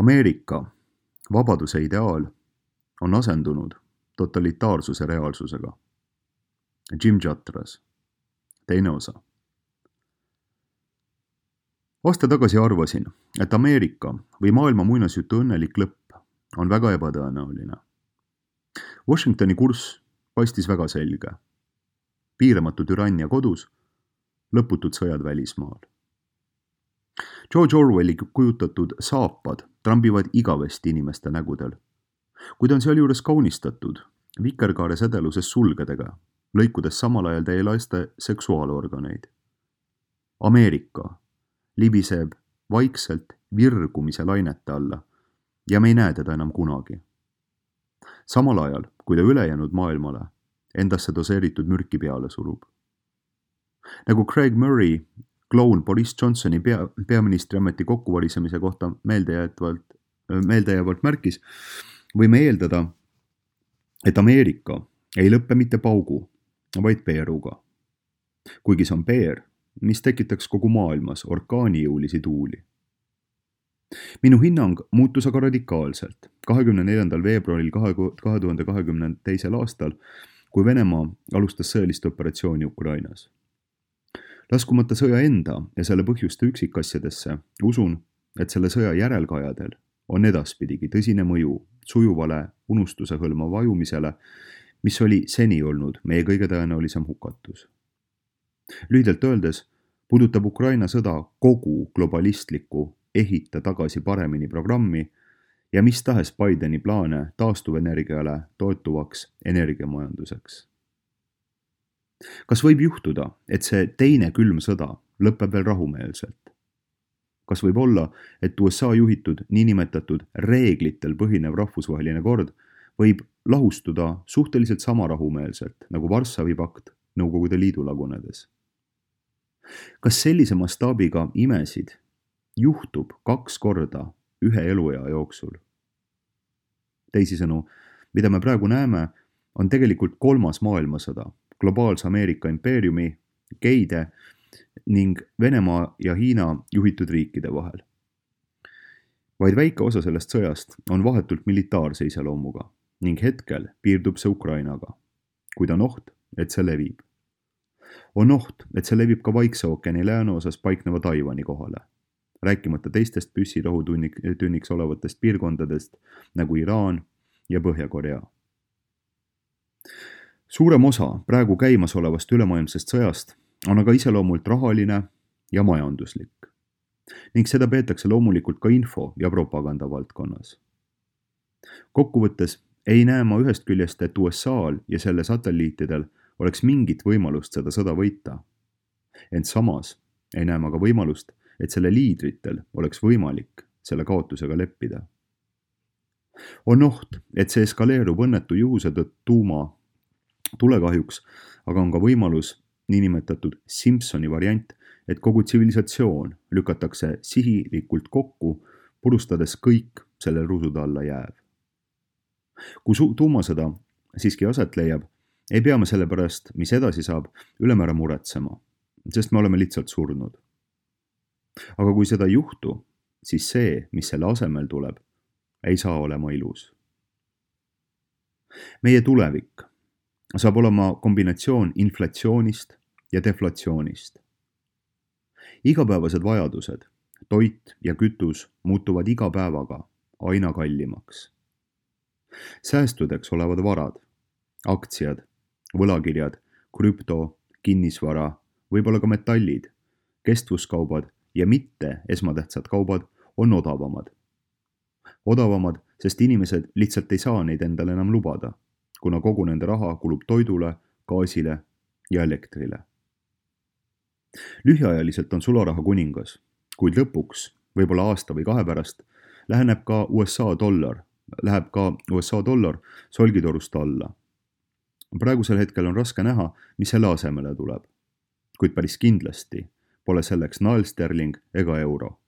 Ameerika vabaduse ideaal on asendunud totalitaarsuse reaalsusega. Jim Jatras, teine osa. Aasta tagasi arvasin, et Ameerika või maailma muinasjutu õnnelik lõpp on väga ebatõenäoline. Washingtoni kurss paistis väga selge. Piiramatu türannia kodus, lõputud sõjad välismaal. George Orwelli kujutatud saapad trambivad igavesti inimeste nägudel, kuid on sealjuures kaunistatud vikerkaare sedeluses sulgedega, lõikudes samal ajal teie laste seksuaalorganeid. Ameerika libiseb vaikselt virgumise lainete alla ja me ei näe teda enam kunagi. Samal ajal, kui ta ülejäänud maailmale endasse doseeritud mürki peale surub. Nagu Craig Murray kloun Boris Johnsoni peaministri ameti kokkuvarisemise kohta meeldejäävalt märkis, võime eeldada, et Ameerika ei lõppe mitte paugu, vaid peeruga. Kuigi see on peer, mis tekitaks kogu maailmas orkaanijõulisi tuuli. Minu hinnang muutus aga radikaalselt 24. veebruaril 2022. aastal, kui Venemaa alustas sõjalist operatsiooni Ukrainas. Laskumata sõja enda ja selle põhjuste üksikasjadesse, usun, et selle sõja järelkajadel on edaspidigi tõsine mõju sujuvale unustuse hõlma vajumisele, mis oli seni olnud meie kõige tõenäolisem hukatus. Lühidalt öeldes puudutab Ukraina sõda kogu globalistliku ehita tagasi paremini programmi ja mis tahes Bideni plaane taastuvenergiale toetuvaks energiamajanduseks. Kas võib juhtuda, et see teine külm sõda lõpeb veel rahumeelselt? Kas võib olla, et USA juhitud niinimetatud reeglitel põhinev rahvusvaheline kord võib lahustuda suhteliselt sama rahumeelselt nagu Varssavi pakt Nõukogude Liidu lagunedes? Kas sellise mastaabiga imesid juhtub 2 korda ühe eluea jooksul? Teisisõnu, mida me praegu näeme, on tegelikult 3. maailmasõda globaalse Ameerika impeeriumi, geide ning Venemaa ja Hiina juhitud riikide vahel. Vaid väike osa sellest sõjast on vahetult militaarse iseloomuga ning hetkel piirdub see Ukrainaga, kuid on oht, et see levib. On oht, et see levib ka Vaikse ookeani lääneosas paikneva Taiwani kohale, rääkimata teistest püssirohutünniks olevatest piirkondadest nagu Iraan ja Põhja-Korea. Suurem osa praegu käimasolevast ülemaailmsest sõjast on aga iseloomult rahaline ja majanduslik ning seda peetakse loomulikult ka info- ja propaganda valdkonnas. Kokkuvõttes ei näe ma ühest küljest, et USA'l ja selle satelliitidel oleks mingit võimalust seda sõda võita. Ent samas ei näe ma ka võimalust, et selle liidritel oleks võimalik selle kaotusega leppida. On oht, et see eskaleerub õnnetu juhuse tuuma tulekahjuks, aga on ka võimalus, niinimetatud Simpsoni variant, et kogu tsivilisatsioon lükatakse sihilikult kokku, purustades kõik selle rusude alla jääv. Kui tuumasõda siiski aset leiab, ei pea me selle pärast, mis edasi saab, ülemäära muretsema, sest me oleme lihtsalt surnud. Aga kui seda ei juhtu, siis see, mis selle asemel tuleb, ei saa olema ilus. Meie tulevik saab olema kombinatsioon inflatsioonist ja deflatsioonist. Igapäevased vajadused, toit ja kütus muutuvad iga päevaga aina kallimaks. Säästudeks olevad varad, aktsiad, võlakirjad, krüpto, kinnisvara, võib-olla ka metallid, kestvuskaubad ja mitte esmatähtsad kaubad on odavamad. Odavamad, sest inimesed lihtsalt ei saa neid endale enam lubada, kuna kogu nende raha kulub toidule, gaasile ja elektrile. Lühiajaliselt on sularaha kuningas, kuid lõpuks, võib-olla aasta või 2 pärast, läheb ka USA dollar solgitorust alla. Praegusel hetkel on raske näha, mis selle asemele tuleb, kuid päris kindlasti pole selleks naelsterling ega euro.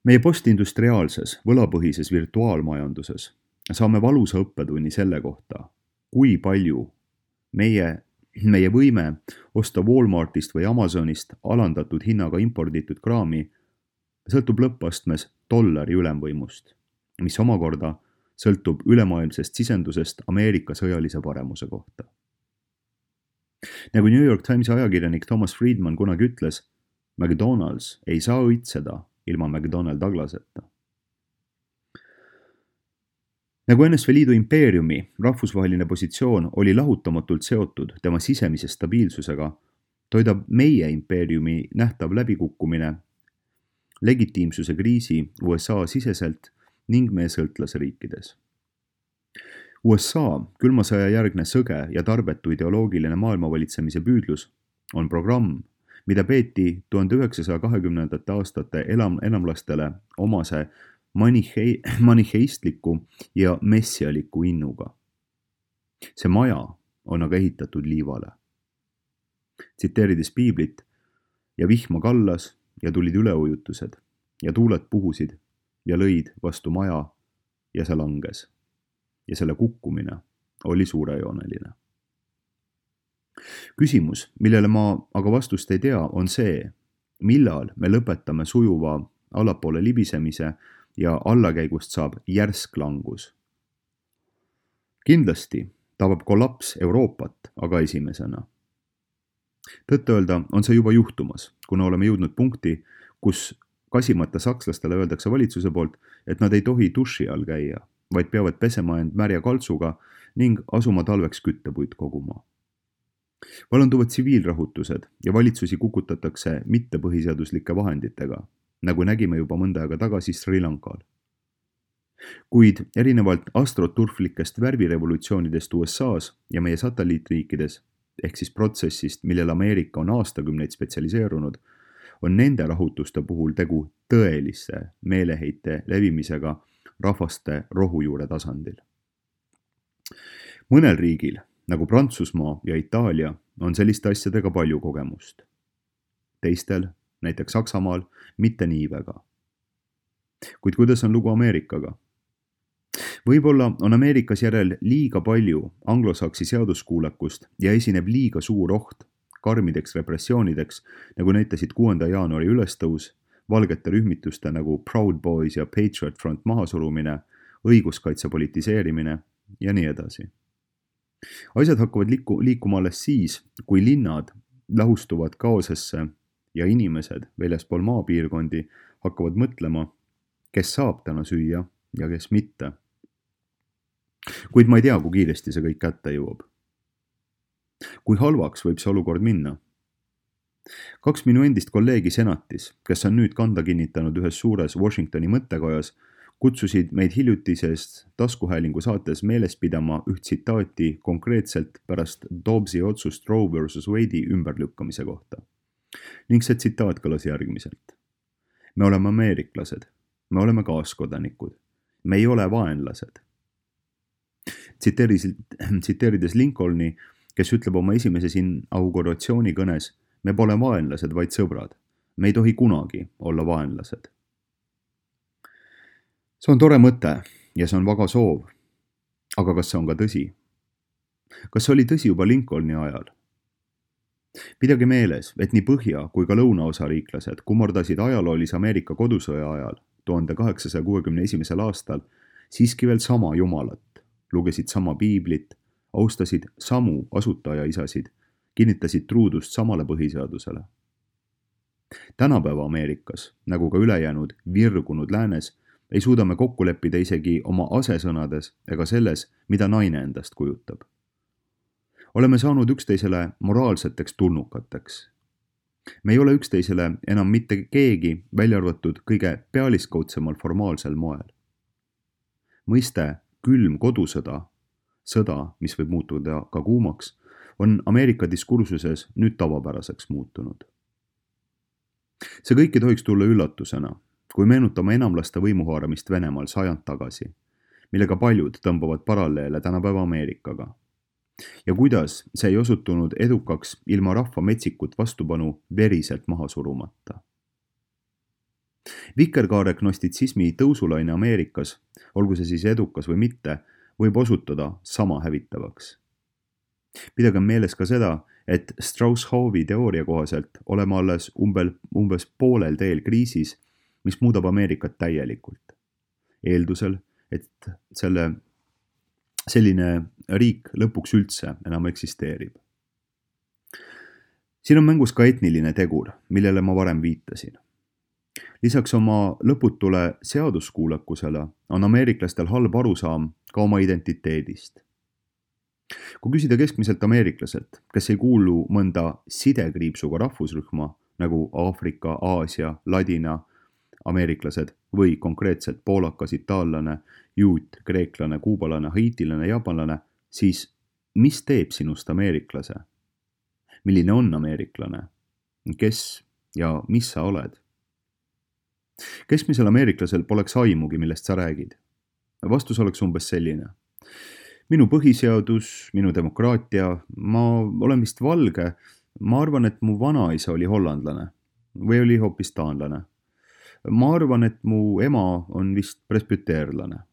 Meie postindustriaalses, võlapõhises virtuaalmajanduses saame valusa õppetunni selle kohta, kui palju meie võime osta Walmartist või Amazonist alandatud hinnaga imporditud kraami sõltub lõppastmes dollari ülemvõimust, mis omakorda sõltub ülemaailmsest sisendusest Ameerika sõjalise paremuse kohta. Nagu New York Timesi ajakirjanik Thomas Friedman kunagi ütles, McDonald's ei saa õitseda ilma McDonnell Douglaseta. Nagu NSV Liidu impeeriumi rahvusvaheline positsioon oli lahutamatult seotud tema sisemise stabiilsusega, toidab meie impeeriumi nähtav läbikukkumine legitiimsuse kriisi USA siseselt ning meie sõltlasriikides. USA külma sõja järgne sõge ja tarbetu ideoloogiline maailmavalitsemise püüdlus on programm, mida peeti 1920. aastate enamlastele omase maniheistliku ja messialiku innuga. See maja on aga ehitatud liivale. Tsiteerides piiblit, ja vihma kallas ja tulid üleujutused ja tuuled puhusid ja lõid vastu maja ja see langes. Ja selle kukkumine oli suurejooneline. Küsimus, millele ma aga vastust ei tea, on see, millal me lõpetame sujuva allapoole libisemise ja allakäigust saab järsk langus. Kindlasti tabab kollaps Euroopat aga esimesena. Tõtt-öelda on see juba juhtumas, kuna oleme jõudnud punkti, kus kasimata sakslastele öeldakse valitsuse poolt, et nad ei tohi duši all käia, vaid peavad pesema end märja kaltsuga ning asuma talveks küttepuid koguma. Vallanduvad tsiviilrahutused ja valitsusi kukutatakse mittepõhiseaduslike vahenditega, nagu nägime juba mõnda aega tagasi Sri Lankal. Kuid erinevalt astroturflikest värvirevolutsioonidest USA's ja meie satelliitriikides, ehk siis protsessist, millel Ameerika on aastakümneid spetsialiseerunud, on nende rahutuste puhul tegu tõelisse meeleheite levimisega rahvaste rohujuure tasandil. Mõnel riigil, nagu Prantsusmaa ja Itaalia, on selliste asjadega palju kogemust. Teistel, näiteks Saksamaal, mitte nii väga. Kuid kuidas on lugu Ameerikaga? Võib-olla on Ameerikas järel liiga palju anglosaksi seaduskuulekust ja esineb liiga suur oht karmideks repressioonideks, nagu näitasid 6. jaanuari ülestõus, valgete rühmituste nagu Proud Boys ja Patriot Front mahasurumine, õiguskaitse politiseerimine ja nii edasi. Asjad hakkavad liikuma alles siis, kui linnad lahustuvad kaosesse ja inimesed väljaspool maapiirkondi hakkavad mõtlema, kes saab täna süüa ja kes mitte. Kuid ma ei tea, kui kiiresti see kõik kätte jõuab. Kui halvaks võib see olukord minna? 2 minu endist kolleegi senatis, kes on nüüd kanda kinnitanud ühes suures Washingtoni mõttekojas, kutsusid meid hiljutisest taskuhäälingu saates meeles pidama üht tsitaati konkreetselt pärast Dobbsi otsust Roe vs. Wade'i ümberlükkamise kohta. Ning see tsitaat kõlas järgmiselt. Me oleme ameeriklased, me oleme kaaskodanikud, me ei ole vaenlased. Tsiteerides Lincolni, kes ütleb oma esimeses inauguratsioonikõnes, me pole vaenlased, vaid sõbrad. Me ei tohi kunagi olla vaenlased. See on tore mõte ja see on vaga soov. Aga kas see on ka tõsi? Kas see oli tõsi juba Lincolni ajal? Pidage meeles, et nii põhja kui ka lõunaosariiklased kummordasid ajaloolise Ameerika kodusõja ajal 1861. aastal siiski veel sama jumalat, lugesid sama piiblit, austasid samu asutajaisasid, kinnitasid truudust samale põhiseadusele. Tänapäeva Ameerikas, nagu ka ülejäänud virgunud läänes, ei suuda me kokku leppida isegi oma asesõnades ega selles, mida naine endast kujutab. Oleme saanud üksteisele moraalseteks tulnukateks. Me ei ole üksteisele enam mitte keegi, välja arvatud kõige pealiskaudsemal formaalsel moel. Mõiste külm kodusõda, sõda, mis võib muutuda ka kuumaks, on Ameerika diskursuses nüüd tavapäraseks muutunud. See kõik ei tohiks tulla üllatusena, kui meenutame enamlaste võimuhaaramist Venemaal sajand tagasi, millega paljud tõmbavad paralleele tänapäeva Ameerikaga. Ja kuidas see ei osutunud edukaks ilma rahva metsikut vastupanu veriselt maha surumata. Vikerkaare gnostitsismi tõusulaine Ameerikas, olgu see siis edukas või mitte, võib osutuda sama hävitavaks. Pidage meeles ka seda, et Strauss-Howe teooria kohaselt oleme alles umbes poolel teel kriisis, mis muudab Ameerikat täielikult. Eeldusel, et selline riik lõpuks üldse enam eksisteerib. Siin on mängus ka etniline tegur, millele ma varem viitasin. Lisaks oma lõputule seaduskuulekusele on ameeriklastel halb arusaam ka oma identiteedist. Kui küsida keskmiselt ameeriklaselt, kes ei kuulu mõnda sidekriipsuga rahvusrühma nagu Aafrika, Aasia, Ladina ameeriklased või konkreetselt poolakas, itaallane, juut, kreeklane, kuubalane, haitilane, jaapanlane, siis mis teeb sinust ameeriklase? Milline on ameeriklane? Kes ja mis sa oled? Keskmisel ameeriklasel poleks aimugi, millest sa räägid. Vastus oleks umbes selline. Minu põhiseadus, minu demokraatia, ma olen vist valge, ma arvan, et mu vanaisa oli hollandlane või oli hoopis taanlane. Ma arvan, et mu ema on vist presbüteerlane.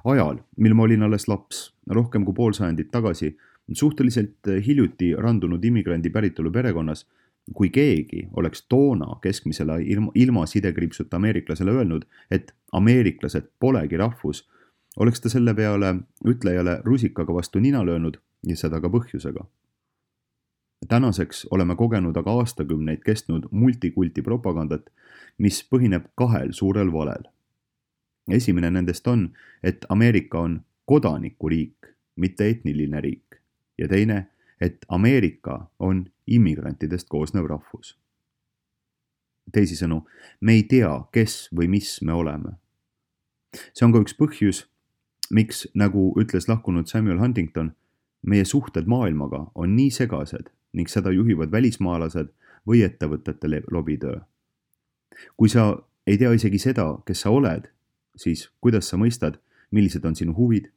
Ajal, mil ma olin alles laps, rohkem kui pool sajandit tagasi, suhteliselt hiljuti randunud immigrandi päritolu perekonnas, kui keegi oleks toona keskmisele ilma sidekriipsuta ameeriklasele öelnud, et ameeriklased polegi rahvus, oleks ta selle peale ütlejale rusikaga vastu nina löönud ja seda ka põhjusega. Tänaseks oleme kogenud aga aastakümneid kestnud multikulti propagandat, mis põhineb kahel suurel valel. Esimene nendest on, et Ameerika on kodanikuriik, mitte etniline riik, ja teine, et Ameerika on immigrantidest koosnev rahvus. Teisisõnu, me ei tea, kes või mis me oleme. See on ka üks põhjus, miks, nagu ütles lahkunud Samuel Huntington, meie suhted maailmaga on nii segased ning seda juhivad välismaalased või ettevõtete lobitöö. Kui sa ei tea isegi seda, kes sa oled, siis kuidas sa mõistad, millised on sinu huvid?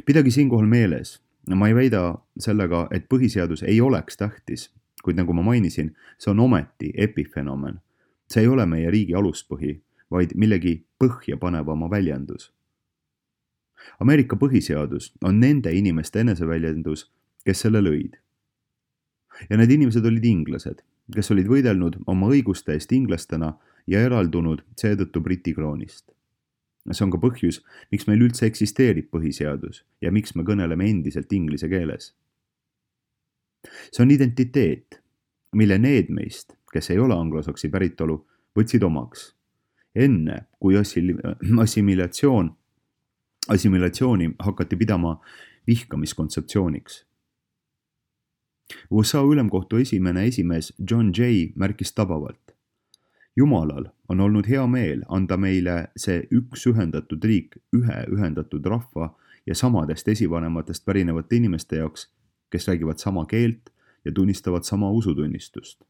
Pidagi siinkohal meeles, ma ei väida sellega, et põhiseadus ei oleks tähtis, kuid nagu ma mainisin, see on ometi epifenomen. See ei ole meie riigi aluspõhi, vaid millegi põhja panevama väljendus. Ameerika põhiseadus on nende inimeste eneseväljendus, kes selle lõid. Ja need inimesed olid inglased, kes olid võidelnud oma õiguste eest inglastena ja eraldunud seetõttu Briti kroonist. See on ka põhjus, miks meil üldse eksisteerib põhiseadus ja miks me kõneleme endiselt inglise keeles. See on identiteet, mille need meist, kes ei ole anglosaksi päritolu, võtsid omaks. Enne, kui assimilatsiooni hakati pidama vihkamiskontseptsiooniks. USA ülemkohtu esimene esimees John Jay märkis tabavalt. Jumalal on olnud hea meel anda meile see üks ühendatud riik ühe ühendatud rahva ja samadest esivanematest pärinevate inimeste jaoks, kes räägivad sama keelt ja tunnistavad sama usutunnistust,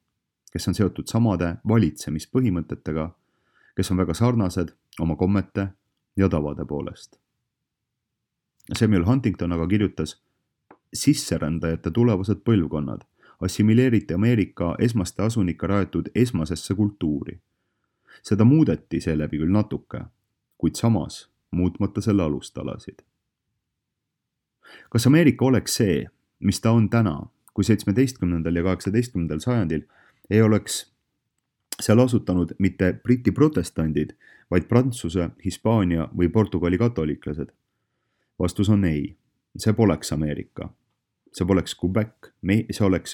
kes on seotud samade valitsemispõhimõtetega, kes on väga sarnased oma kommete ja tavade poolest. Samuel Huntington aga kirjutas, sisserändajate tulevased põlvkonnad assimileeriti Ameerika esmaste asunika rajatud esmasesse kultuuri. Seda muudeti seeläbi küll natuke, kuid samas muutmata selle alustalasid. Kas Ameerika oleks see, mis ta on täna, kui 17. ja 18. sajandil ei oleks seal asutanud mitte Briti protestandid, vaid Prantsuse, Hispaania või Portugali katoliklased? Vastus on ei, see poleks Ameerika. See oleks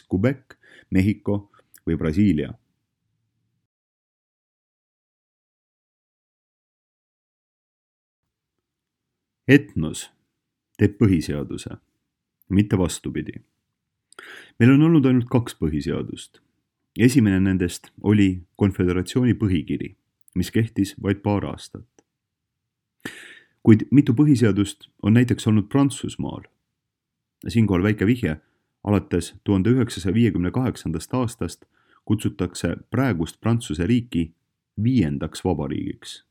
Quebec, Mehhiko või Brasiilia. Etnos teeb põhiseaduse, mitte vastupidi. Meil on olnud ainult 2 põhiseadust. Esimene nendest oli konföderatsiooni põhikiri, mis kehtis vaid paar aastat. Kuid mitu põhiseadust on näiteks olnud Prantsusmaal. Siinkohal väike vihje, alates 1958. aastast kutsutakse praegust Prantsuse riiki 5. vabariigiks.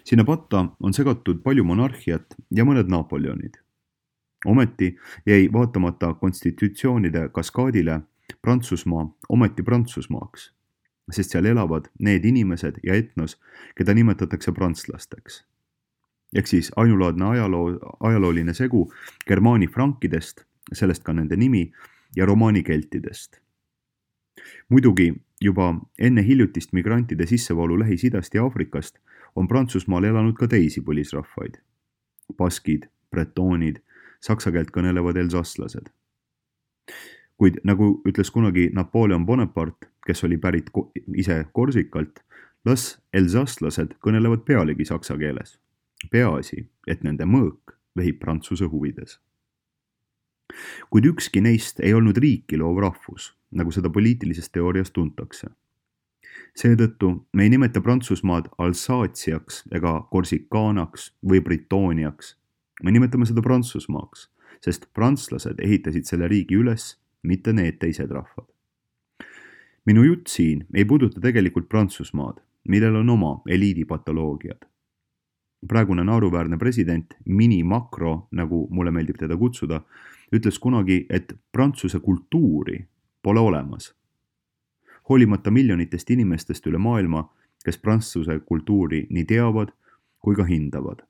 Sinna patta on segatud palju monarhiat ja mõned Napoleonid. Ometi jäi vaatamata konstitutsioonide kaskaadile Prantsusmaa ometi Prantsusmaaks, sest seal elavad need inimesed ja etnos, keda nimetatakse prantslasteks. Ehk siis ainulaadne ajalooline segu germaani frankidest, sellest ka nende nimi, ja romaani keltidest. Muidugi juba enne hiljutist migrantide sissevoolu Lähis-Idast ja Aafrikast on Prantsusmaal elanud ka teisi põlisrahvaid. Baskid, bretoonid, saksa keelt kõnelevad elsasslased. Kuid nagu ütles kunagi Napoleon Bonaparte, kes oli pärit ise Korsikalt, las elsasslased kõnelevad pealegi saksa keeles. Peaasi, et nende mõõk vehib Prantsuse huvides. Kuid ükski neist ei olnud riiki loov rahvus, nagu seda poliitilises teoorias tuntakse. Seetõttu me ei nimeta Prantsusmaad Alsaatiaks ega Korsikaanaks või Britooniaks. Me nimetame seda Prantsusmaaks, sest prantslased ehitasid selle riigi üles, mitte need teised rahvad. Minu jutt siin ei puuduta tegelikult Prantsusmaad, millel on oma eliidipatoloogiad. Praegune naeruväärne president Mini Macron, nagu mulle meeldib teda kutsuda, ütles kunagi, et prantsuse kultuuri pole olemas. Hoolimata miljonitest inimestest üle maailma, kes prantsuse kultuuri nii teavad kui ka hindavad.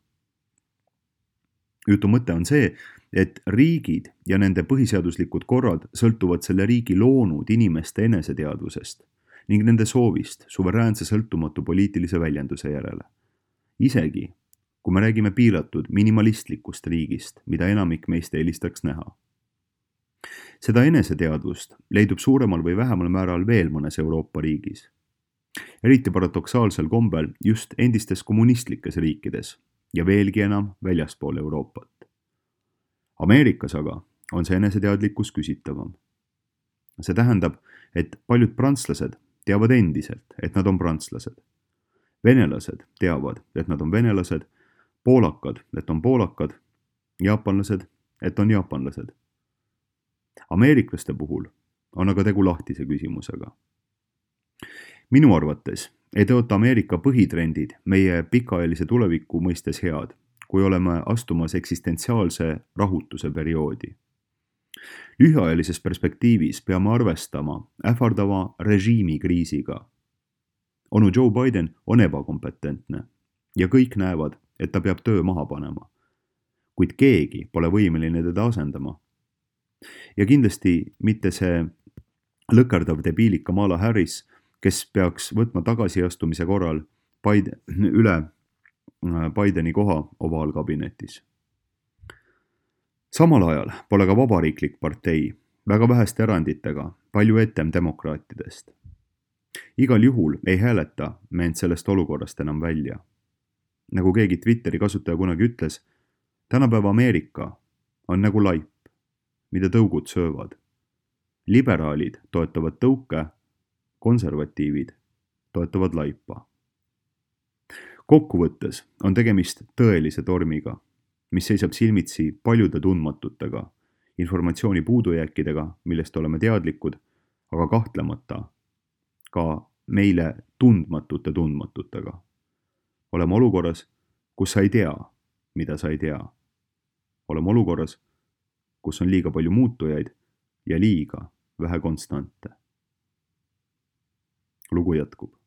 Jutu mõte on see, et riigid ja nende põhiseaduslikud korrad sõltuvad selle riigi loonud inimeste eneseteadvusest ning nende soovist suveräänse sõltumatu poliitilise väljenduse järele. Isegi, kui me räägime piiratud minimalistlikust riigist, mida enamik meist eelistaks näha. Seda eneseteadvust leidub suuremal või vähemal määral veel mõnes Euroopa riigis. Eriti paradoksaalsel kombel just endistes kommunistlikes riikides ja veelgi enam väljaspool Euroopat. Ameerikas aga on see eneseteadlikkus küsitavam. See tähendab, et paljud prantslased teavad endiselt, et nad on prantslased. Venelased teavad, et nad on venelased, poolakad, et on poolakad, jaapanlased, et on jaapanlased. Ameeriklaste puhul on aga tegu lahtise küsimusega. Minu arvates ei tõota Ameerika põhitrendid meie pikaajalise tuleviku mõistes head, kui oleme astumas eksistentsiaalse rahutuse perioodi. Lühiajalises perspektiivis peame arvestama ähvardava režiimikriisiga. Onu Joe Biden on ebakompetentne ja kõik näevad, et ta peab töö maha panema. Kuid keegi pole võimeline teda asendama. Ja kindlasti mitte see lõkerdav debiilik Kamala Harris, kes peaks võtma tagasiastumise korral üle Bideni koha ovaalkabinetis. Samal ajal pole ka vabariiklik partei, väga väheste eranditega, palju etem demokraatidest. Igal juhul ei hääleta me end sellest olukorrast enam välja. Nagu keegi Twitteri kasutaja kunagi ütles, tänapäeva Ameerika on nagu laip, mida tõugud söövad. Liberaalid toetavad tõuke, konservatiivid toetavad laipa. Kokkuvõttes on tegemist tõelise tormiga, mis seisab silmitsi paljude tundmatutega, informatsiooni puudujääkidega, millest oleme teadlikud, aga kahtlemata ka meile tundmatute tundmatutega. Oleme olukorras, kus sa ei tea, mida sa ei tea. Oleme olukorras, kus on liiga palju muutujaid ja liiga vähe konstante. Lugu jätkub.